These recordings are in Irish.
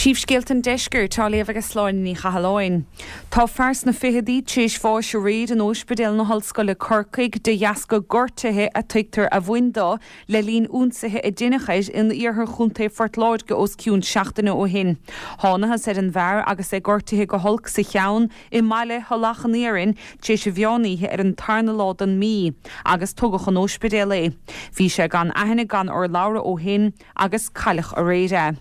Príomhscéalta an Deiscirt á léamh ag Sláine Ní Chathalláin. Tá fear sna ficheadaí tar éis bháis aréir in Óispidéal na hOllscoile Corcaigh de dheasca gortuithe a tuigtear a bhain dó le linn ionsaithe a deineadh air in iarthar chontae Phort Láirge os cionn seachtaine ó shin. Thánathas ar an bhfear agus é gortaithe go holc sa cheann i mbaile Thulach an Iarainn tar éis an mheán oíche ar an tarna lá den mhí agus tugadh chun óispidéil é. Bhí sé gan aithne gan urlabhra ó shin agus cailleadh aréir é.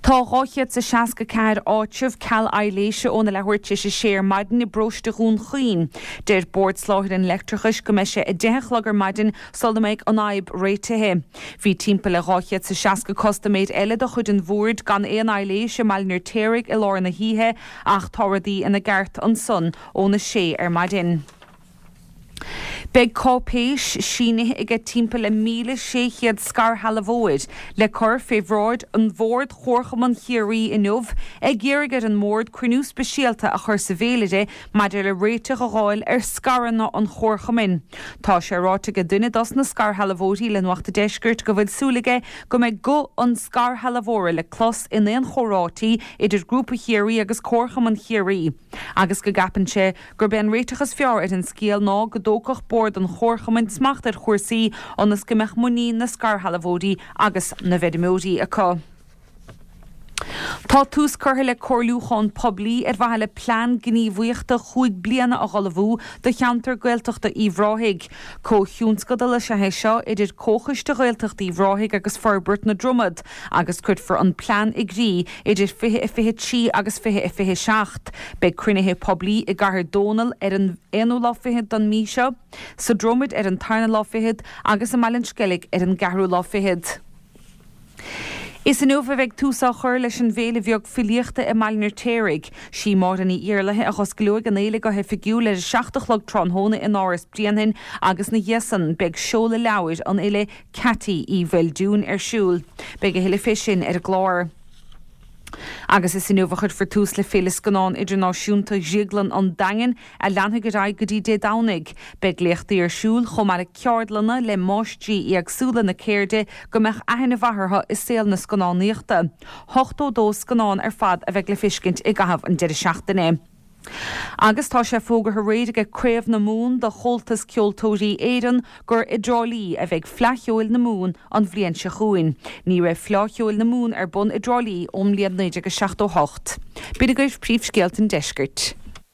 Tá 264 áitreabh ceal aibhléise óna leathuair tar éis a sé ar maidin i bparóiste Dhún Chaoin. Deir Bord Soláthair an Leictreachais go mbeidh sé 10 a chlog ar maidin sula mbeidh an fhadhb réitithe. Bhí timpeall le 260 custaiméir eile de chuid an Bhoird gan aon aibhléis i mBaile an Fheirtéaraigh i lár na hoíche ach tá rudaí ina gceart ansan óna sé ar maidin. Beidh cáipéis, sínithe aige timpeall le 1,600 scairshealbhóir, le cur fé bhráid an Bhoird Chomharchumann Chiarraí inniu ag iarraidh ar an mBord cruinniú speisialta a chur sa bhféilire maidir le réiteach a dh'fháil ar scaireanna an Chomharchumainn. Tá sé ráite aige duine dos na scairshealbhóirí le Nuacht a' Deiscirt go bhfuil súil aige go mbeidh guth an scairshealbhóra le clos in aon chomhráití idir Grúpa Chiarraí agus Comharchumann Chiarraí agus go gceapann sé gurb é an réiteach is fearr ar an scéal ná go dtógfadh Bord an Chomharchumainn smacht ar chúrsaí ionas go mbeadh muinín na scairshealbhóirí agus na bhfeirmeoirí acu. Tá tús curtha le comhairliúchán poiblí ar mhaithe le plean gníomhaíochta chúig bliana a dh'ullmhú do cheantar Gaeltachta Uíbh Ráthaigh. Comhthionscadal is ea é seo idir Comhchoiste Ghaeltacht Uíbh Ráthaigh agus Forbairt na Dromad agus cuirfear an plean i gcrích idir 2023 agus 2027. Beidh cruinnithe poiblí i gCathair Dónall ar an aonú lá fichead den mhí seo, sa Dromaid ar an tarna lá fichead agus i mBaile an Sceilg ar an gceathrú lá fichead. Is inniu a bheidh tús á chur leis an bhFéile Bheag Filíochta i mBaile an Fheirtéaraigh. Sí Máire Ní Iarlaithe a dh'osclóidh an fhéile go hoifigiúil ar a 7 a chlog tráthnóna in Áras Bhrianain agus 'na dhiaidh san beidh seoladh leabhair an fhile Ceaití Uí Mhaoldúin ar siúl. Beidh a thuilleadh fé sin ar an gclár. Agus is inniu a chuirfear tús le Féile Scannán Idirnáisiúnta Dhrioglann an Daingin, a leanfaidh ar aghaidh go dtí Dé Domhnaigh. Beidh léachtaí ar siúl, chomh maith le ceardlanna le máistrí éagsúla na ceirde go mbeadh aithne mhaith orthu i saol na scannánaíochta. 82 scannán ar fad a bheidh le feiscint i gcaitheamh an deireadh seachtaine. Agus tá sé fógartha aréir aige Craobh na Mumhan de Chomhaltas Ceoltóirí Éireann gur i dTrá Lí a bheidh Fleadh Cheoil na Mumhan an bhliain seo chugainn. Ní raibh Fleá Cheoil na Mumhan ar bun i dTrá Lí ón mbliain 1978. B'in agaibh príomhscéalta an deiscirt.